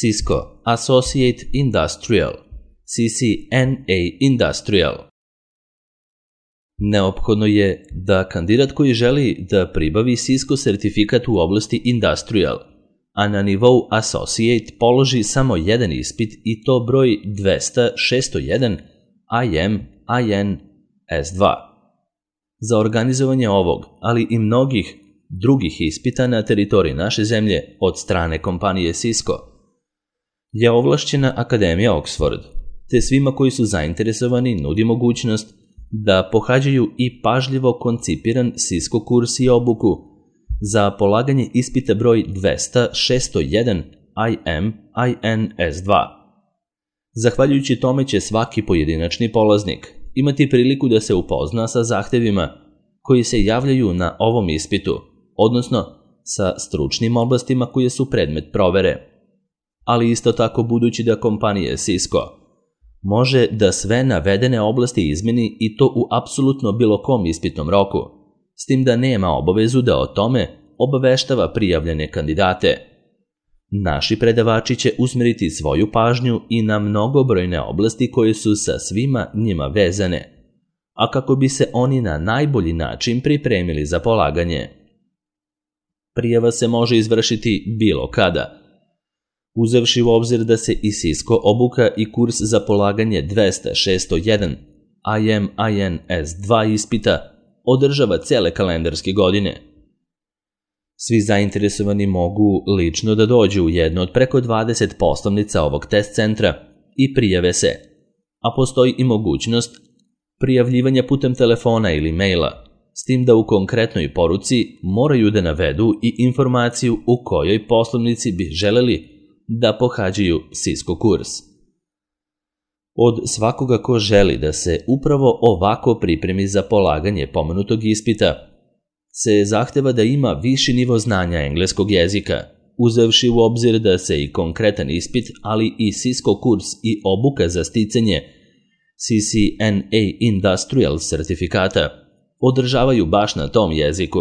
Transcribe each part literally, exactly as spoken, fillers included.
Cisco Associate Industrial, C C N A Industrial. Neophodno je da kandidat koji želi da pribavi Cisco sertifikat u oblasti Industrial, a na nivou Associate položi samo jedan ispit i to broj dvesta šesto jedan I M I N S dva. Za organizovanje ovog, ali i mnogih drugih ispita na teritoriji naše zemlje od strane kompanije Cisco je ovlašćena Akademija Oxford, te svima koji su zainteresovani nudi mogućnost da pohađaju i pažljivo koncipiran Cisco kurs i obuku za polaganje ispita broj dvesta šesto jedan I M I N S dva. Zahvaljujući tome će svaki pojedinačni polaznik imati priliku da se upozna sa zahtevima koji se javljaju na ovom ispitu, odnosno sa stručnim oblastima koje su predmet provere. Ali isto tako, budući da kompanija Cisco može da sve navedene oblasti izmeni i to u apsolutno bilo kom ispitnom roku, s tim da nema obavezu da o tome obaveštava prijavljene kandidate. Naši predavači će usmeriti svoju pažnju i na mnogobrojne oblasti koje su sa svima njima vezane, a kako bi se oni na najbolji način pripremili za polaganje. Prijava se može izvršiti bilo kada, uzevši u obzir da se i Cisco obuka i kurs za polaganje dvesta šesto jedan I M I N S dva ispita održava cele kalendarske godine. Svi zainteresovani mogu lično da dođu u jednu od preko dvadeset poslovnica ovog test centra i prijave se, a postoji i mogućnost prijavljivanja putem telefona ili maila, s tim da u konkretnoj poruci moraju da navedu i informaciju u kojoj poslovnici bi želeli da pohađaju Cisco kurs. Od svakoga ko želi da se upravo ovako pripremi za polaganje pomenutog ispita, se zahteva da ima viši nivo znanja engleskog jezika, uzevši u obzir da se i konkretan ispit, ali i Cisco kurs i obuka za sticanje C C N A Industrial sertifikata održavaju baš na tom jeziku.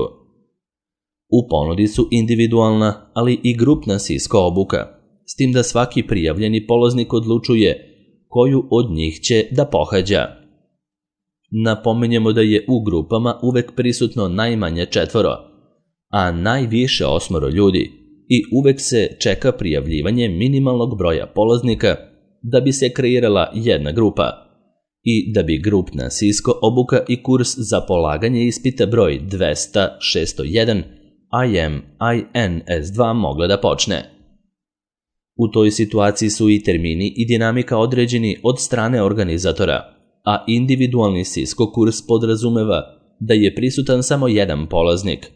U ponudi su individualna, ali i grupna Cisco obuka, s tim da svaki prijavljeni polaznik odlučuje koju od njih će da pohađa. Napominjemo da je u grupama uvek prisutno najmanje četvoro, a najviše osmoro ljudi i uvek se čeka prijavljivanje minimalnog broja polaznika da bi se kreirala jedna grupa i da bi grupna Cisco obuka i kurs za polaganje ispita broj dvesta šesto jedan I M I N S dva mogla da počne. U toj situaciji su i termini i dinamika određeni od strane organizatora, a individualni Cisco kurs podrazumeva da je prisutan samo jedan polaznik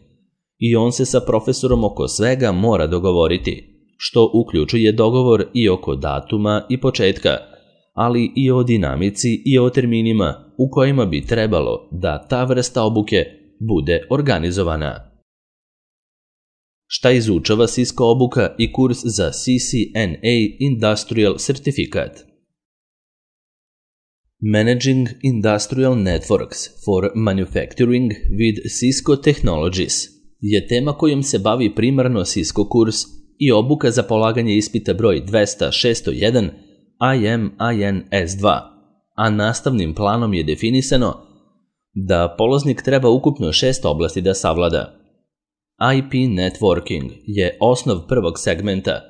i on se sa profesorom oko svega mora dogovoriti, što uključuje dogovor i oko datuma i početka, ali i o dinamici i o terminima u kojima bi trebalo da ta vrsta obuke bude organizovana. Šta izučava Cisco obuka i kurs za C C N A Industrial certifikat? Managing Industrial Networks for Manufacturing with Cisco Technologies je tema kojom se bavi primarno Cisco kurs i obuka za polaganje ispita broj dvesta šesto jedan I M I N S dva, a nastavnim planom je definisano da polaznik treba ukupno šest oblasti da savlada. I P networking je osnov prvog segmenta,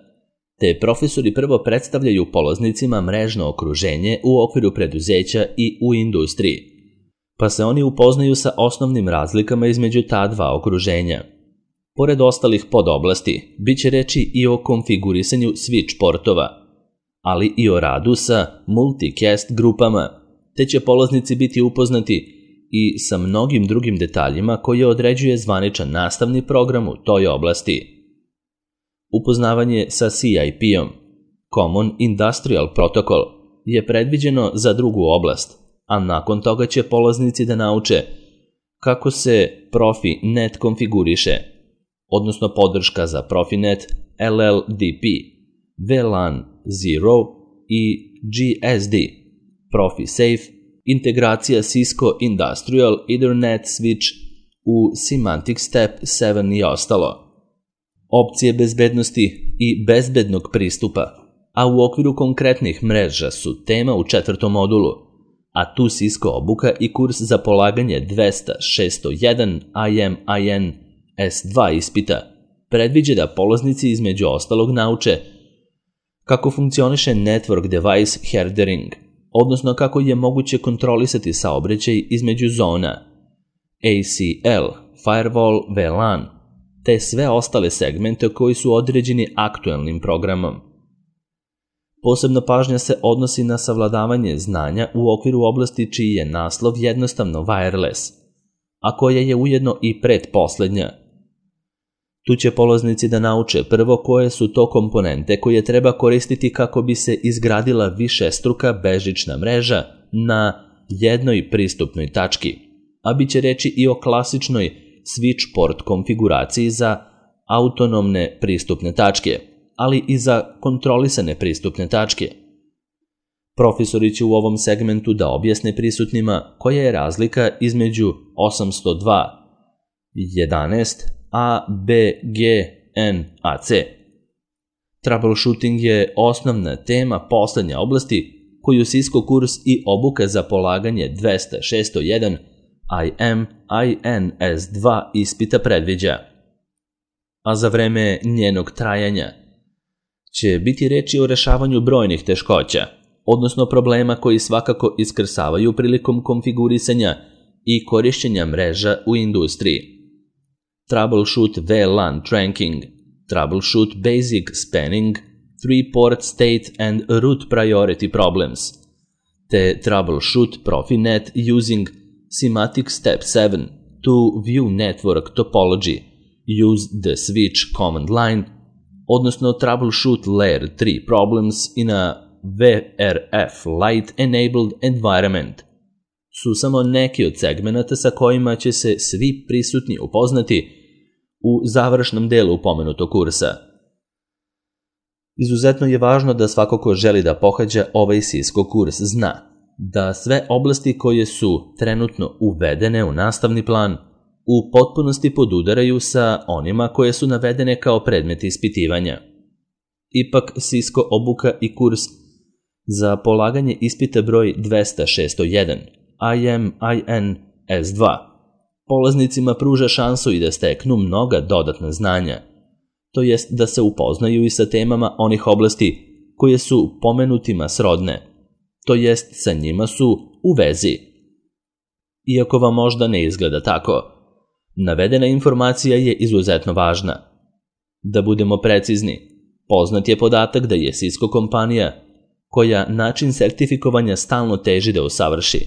te profesori prvo predstavljaju polaznicima mrežno okruženje u okviru preduzeća i u industriji, pa se oni upoznaju sa osnovnim razlikama između ta dva okruženja. Pored ostalih podoblasti, bit će reči i o konfigurisanju switch portova, ali i o radu sa multicast grupama, te će polaznici biti upoznati i sa mnogim drugim detaljima koje određuje zvaničan nastavni program u toj oblasti. Upoznavanje sa C I P-om, Common Industrial Protocol, je predviđeno za drugu oblast, a nakon toga će polaznici da nauče kako se Profinet konfiguriše, odnosno podrška za Profinet, L L D P, V LAN Zero i G S D, ProfiSafe, integracija Cisco Industrial Ethernet Switch u Symantec Step sedam i ostalo. Opcije bezbednosti i bezbednog pristupa, a u okviru konkretnih mreža su tema u četvrtom modulu, a tu Cisco obuka i kurs za polaganje dvesta šessto jedan I M I N S dva ispita predviđa da polaznici između ostalog nauče kako funkcioniše Network Device Herdering, odnosno kako je moguće kontrolisati saobraćaj između zona, A C L, Firewall, V LAN, te sve ostale segmente koji su određeni aktuelnim programom. Posebna pažnja se odnosi na savladavanje znanja u okviru oblasti čiji je naslov jednostavno wireless, a koja je ujedno i pretposlednja. Tu će polaznici da nauče prvo koje su to komponente koje treba koristiti kako bi se izgradila višestruka bežična mreža na jednoj pristupnoj tački, a bit će reći i o klasičnoj switch port konfiguraciji za autonomne pristupne tačke, ali i za kontrolisane pristupne tačke. Profesori će u ovom segmentu da objasne prisutnima koja je razlika između osamsto dva tačka jedanaest A, B, G, N, A, C. Troubleshooting je osnovna tema poslednje oblasti koju Cisco kurs i obuka za polaganje dvesta šessto jedan I M I N S dva ispita predviđa. A za vreme njenog trajanja će biti reči o rešavanju brojnih teškoća, odnosno problema koji svakako iskrsavaju prilikom konfigurisanja i korišćenja mreža u industriji. Troubleshoot V LAN trunking, troubleshoot basic spanning, three-port state and root priority problems, te troubleshoot Profinet using Semantic Step seven to view network topology, use the switch command line, odnosno troubleshoot layer three problems in a V R F Lite-enabled environment, su samo neki od segmenata sa kojima će se svi prisutni upoznati u završnom delu pomenutog kursa. Izuzetno je važno da svako ko želi da pohađa ovaj Cisco kurs zna da sve oblasti koje su trenutno uvedene u nastavni plan u potpunosti podudaraju sa onima koje su navedene kao predmeti ispitivanja. Ipak Cisco obuka i kurs za polaganje ispita broj dvesta šessto jedan I M I N S dva polaznicima pruža šansu i da steknu mnoga dodatna znanja, to jest da se upoznaju i sa temama onih oblasti koje su pomenutima srodne, to jest sa njima su u vezi. Iako vam možda ne izgleda tako, navedena informacija je izuzetno važna. Da budemo precizni, poznat je podatak da je Cisco kompanija koja način sertifikovanja stalno teži da usavrši,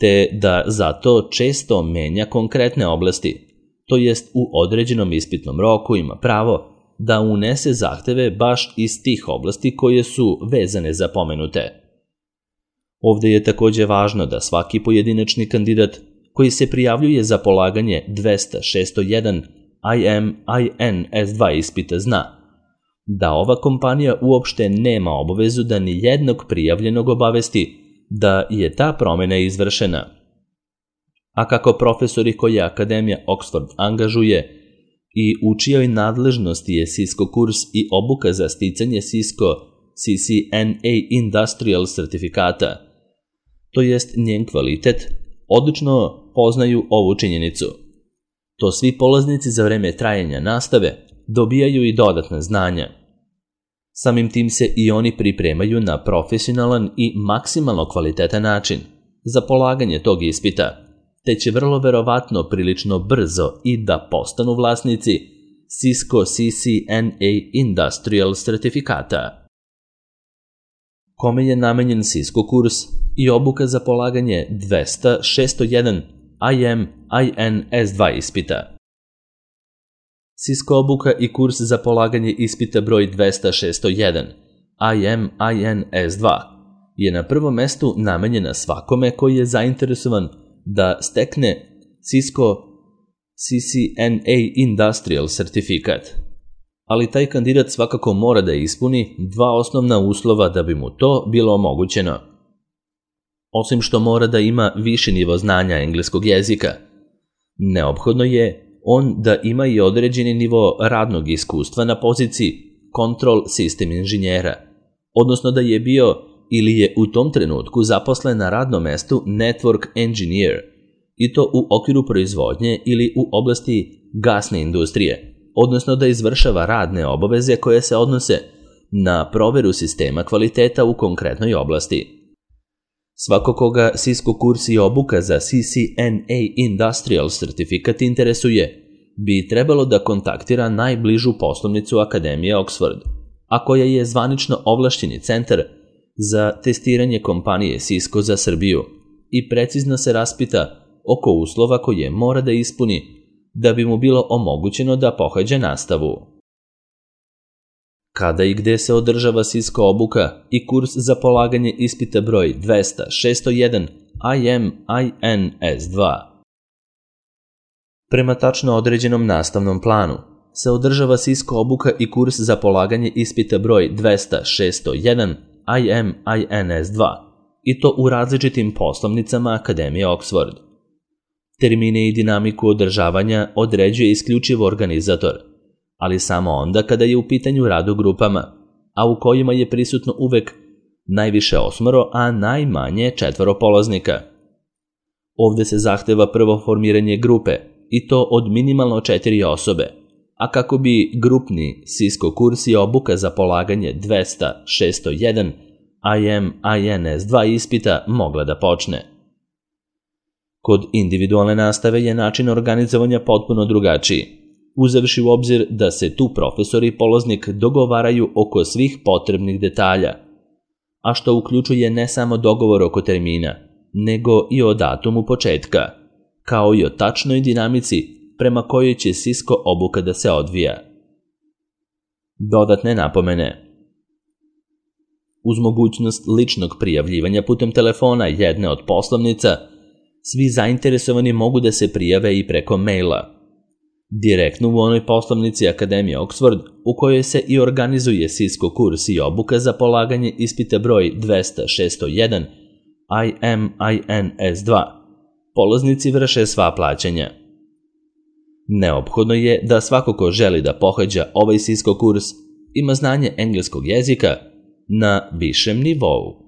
te da zato često menja konkretne oblasti, to jest u određenom ispitnom roku ima pravo da unese zahteve baš iz tih oblasti koje su vezane za pomenute. Ovde je takođe važno da svaki pojedinačni kandidat koji se prijavljuje za polaganje dvesta šessto jedan I M I N S dva ispita zna da ova kompanija uopšte nema obavezu da ni jednog prijavljenog obavesti da je ta promena izvršena. A kako profesori koje Akademija Oxford angažuje i u čijoj nadležnosti je Cisco kurs i obuka za sticanje Cisco C C N A Industrial sertifikata, to jest njen kvalitet, odlično poznaju ovu činjenicu. To svi polaznici za vreme trajanja nastave dobijaju i dodatna znanja. Samim tim se i oni pripremaju na profesionalan i maksimalno kvalitetan način za polaganje tog ispita, te će vrlo verovatno prilično brzo i da postanu vlasnici Cisco C C N A Industrial sertifikata. Kome je namenjen Cisco kurs i obuka za polaganje dvesta šessto jedan I M I N S dva ispita? Cisco obuka i kurs za polaganje ispita broj dvesta šessto jedan I M I N S dva je na prvom mestu namenjena svakome koji je zainteresovan da stekne Cisco C C N A Industrial sertifikat. Ali taj kandidat svakako mora da ispuni dva osnovna uslova da bi mu to bilo omogućeno. Osim što mora da ima viši nivo znanja engleskog jezika, neophodno je on da ima i određeni nivo radnog iskustva na poziciji control system inženjera, odnosno da je bio ili je u tom trenutku zaposlen na radnom mestu network engineer, i to u okviru proizvodnje ili u oblasti gasne industrije, odnosno da izvršava radne obaveze koje se odnose na proveru sistema kvaliteta u konkretnoj oblasti. Svako koga Cisco kurs i obuka za C C N A Industrial sertifikat interesuje, bi trebalo da kontaktira najbližu poslovnicu Akademije Oxford, a koja je zvanično ovlašćeni centar za testiranje kompanije Cisco za Srbiju, i precizno se raspita oko uslova koje mora da ispuni da bi mu bilo omogućeno da pohađa nastavu. Kada i gde se održava Cisco obuka i kurs za polaganje ispita broj dvesta šesto jedan I M I N S dva? Prema tačno određenom nastavnom planu se održava Cisco obuka i kurs za polaganje ispita broj dvesta šesto jedan I M I N S dva, i to u različitim poslovnicama Akademije Oxford. Termine i dinamiku održavanja određuje isključivo organizator, ali samo onda kada je u pitanju rad u grupama, a u kojima je prisutno uvek najviše osmoro, a najmanje četvoro polaznika. Ovde se zahteva prvo formiranje grupe, i to od minimalno četiri osobe, a kako bi grupni Cisco kurs i obuka za polaganje dvesta šesto jedan I M I N S dva ispita mogla da počne. Kod individualne nastave je način organizovanja potpuno drugačiji, uzevši u obzir da se tu profesor i polaznik dogovaraju oko svih potrebnih detalja, a što uključuje ne samo dogovor oko termina, nego i o datumu početka, kao i o tačnoj dinamici prema kojoj će Cisco obuka da se odvija. Dodatne napomene. Uz mogućnost ličnog prijavljivanja putem telefona jedne od poslovnica, svi zainteresovani mogu da se prijave i preko maila. Direktno u onoj poslovnici Akademije Oxford u kojoj se i organizuje Cisco kurs i obuka za polaganje ispita broj dvesta šesto jedan I M I N S dva, polaznici vrše sva plaćanja. Neophodno je da svako ko želi da pohađa ovaj Cisco kurs ima znanje engleskog jezika na višem nivou.